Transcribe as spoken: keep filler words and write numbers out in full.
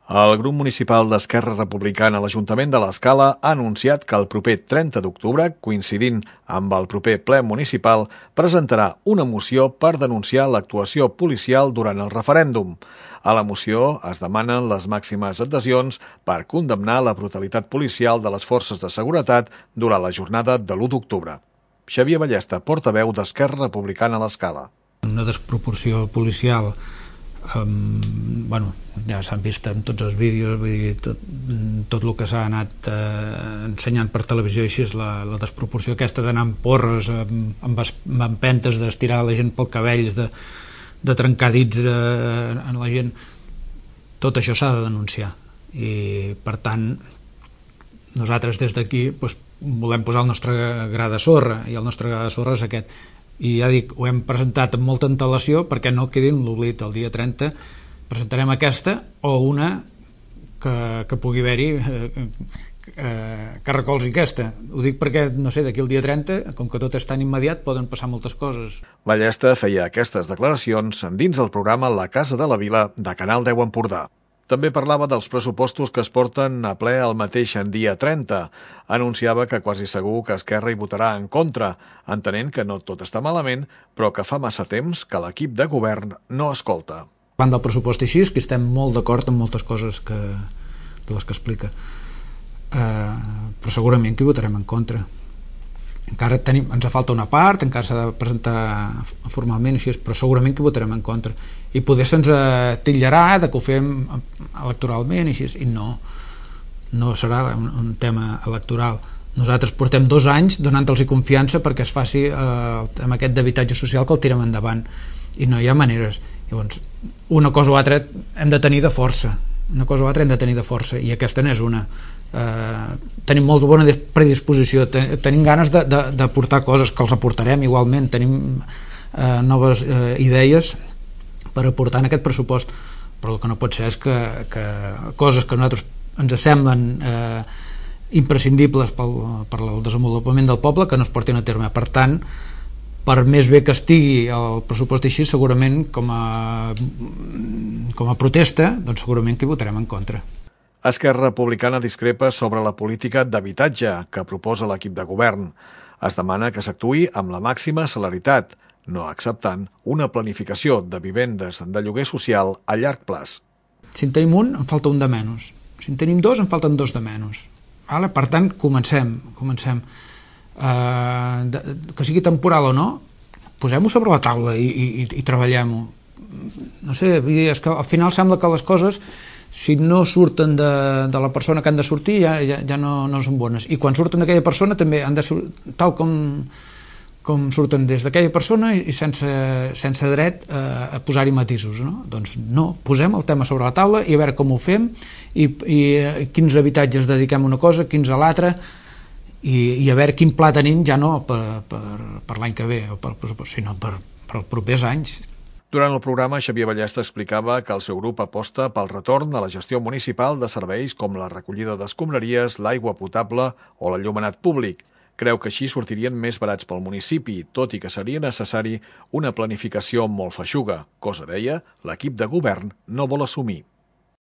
El grup municipal d'Esquerra Republicana a l'Ajuntament de l'Escala ha anunciat que el proper trenta d'octubre, coincidint amb el proper ple municipal, presentarà una moció per denunciar l'actuació policial durant el referèndum. A la moció es demanen les màximes adhesions per condemnar la brutalitat policial de les forces de seguretat durant la jornada de l'u d'octubre. Xavier Ballesta, portaveu d'Esquerra Republicana a l'Escala. Una desproporció policial, Um, bueno, ja s'han vist en tots els vídeos, vull dir, tot, tot el que s'ha anat eh, ensenyant per televisió, així és la, la desproporció aquesta d'anar amb porres, amb, amb, amb empentes, d'estirar la gent pel cabell, de, de trencar dits eh, en la gent. Tot això s'ha de denunciar i, per tant, nosaltres des d'aquí doncs, volem posar el nostre gra de sorra, i el nostre gra de sorra és aquest. I ja dic, ho hem presentat amb molta antelació perquè no quedi en l'oblit. El dia trenta presentarem aquesta o una que, que pugui haver-hi eh, eh, que recolzi aquesta. Ho dic perquè, no sé, d'aquí el dia trenta, com que tot és tan immediat, poden passar moltes coses. Ballesta feia aquestes declaracions dins del programa La Casa de la Vila de Canal deu Empordà. També parlava dels pressupostos que es porten a ple el mateix dia trenta. Anunciava que quasi segur que Esquerra hi votarà en contra, entenent que no tot està malament, però que fa massa temps que l'equip de govern no escolta. Davant del pressupost així, que estem molt d'acord amb moltes coses que, de les que explica, uh, però segurament que hi votarem en contra. Encara tenim, ens falta una part, encara s'ha de presentar formalment així, però segurament que hi votarem en contra. I poder se'ns titllarà de que ho fem electoralment així, i no, no serà un, un tema electoral. Nosaltres portem dos anys donant-los confiança perquè es faci eh, amb aquest d'habitatge social, que el tirem endavant, i no hi ha maneres. Llavors, una cosa o altra hem de tenir de força, una cosa o altra hem de tenir de força, i aquesta n'és una. Eh, tenim molt bona predisposició, ten, tenim ganes de, de, de portar coses, que els aportarem igualment, tenim eh, noves eh, idees per aportar en aquest pressupost, però el que no pot ser és que, que coses que a nosaltres ens semblen eh, imprescindibles pel, per al desenvolupament del poble, que no es portin a terme. Per tant, per més bé que estigui el pressupost així, segurament com a, com a protesta, doncs segurament que hi votarem en contra. Esquerra Republicana discrepa sobre la política d'habitatge que proposa l'equip de govern. Es demana que s'actuï amb la màxima celeritat, no acceptant una planificació de vivendes de lloguer social a llarg plaç. Si en tenim un, en falta un de menys. Si en tenim dos, en falten dos de menys. Vale? Per tant, comencem. comencem. Uh, de, que sigui temporal o no, posem-ho sobre la taula i, i, i treballem-ho. No sé, és que al final sembla que les coses, si no surten de, de la persona que han de sortir, ja, ja, ja no, no són bones. I quan surten d'aquella persona també han de sortir tal com, com surten des d'aquella persona i sense, sense dret a, a posar-hi matisos. No? Doncs no, posem el tema sobre la taula i a veure com ho fem i, i quins habitatges dediquem a una cosa, quins a l'altra, i, i a veure quin pla tenim, ja no per, per, per l'any que ve, o per, sinó per, per els propers anys. Durant el programa, Xavier Ballesta explicava que el seu grup aposta pel retorn a la gestió municipal de serveis com la recollida d'escombraries, l'aigua potable o l'enllumenat públic. Creu que així sortirien més barats pel municipi, tot i que seria necessari una planificació molt feixuga, cosa, deia, l'equip de govern no vol assumir.